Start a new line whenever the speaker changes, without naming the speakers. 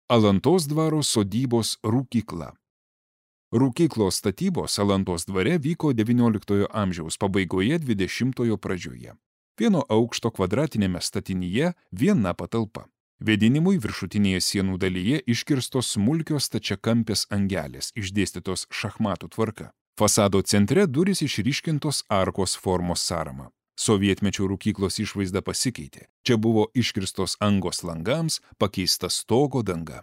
Alantos dvaro sodybos rūkykla. Rūkyklos statybos Alantos dvare vyko XIX amžiaus pabaigoje 20-ojo pradžioje. Vieno aukšto kvadratinėme statinyje viena patalpa. Vėdinimui viršutinėje sienų dalyje iškirstos smulkios stačiakampės angelės, išdėstytos šachmatų tvarka. Fasado centre durys išryškintos arkos formos sąrama. Sovietmečio rūkyklos išvaizda pasikeitė. Čia buvo iškirstos angos langams, pakeista stogo danga.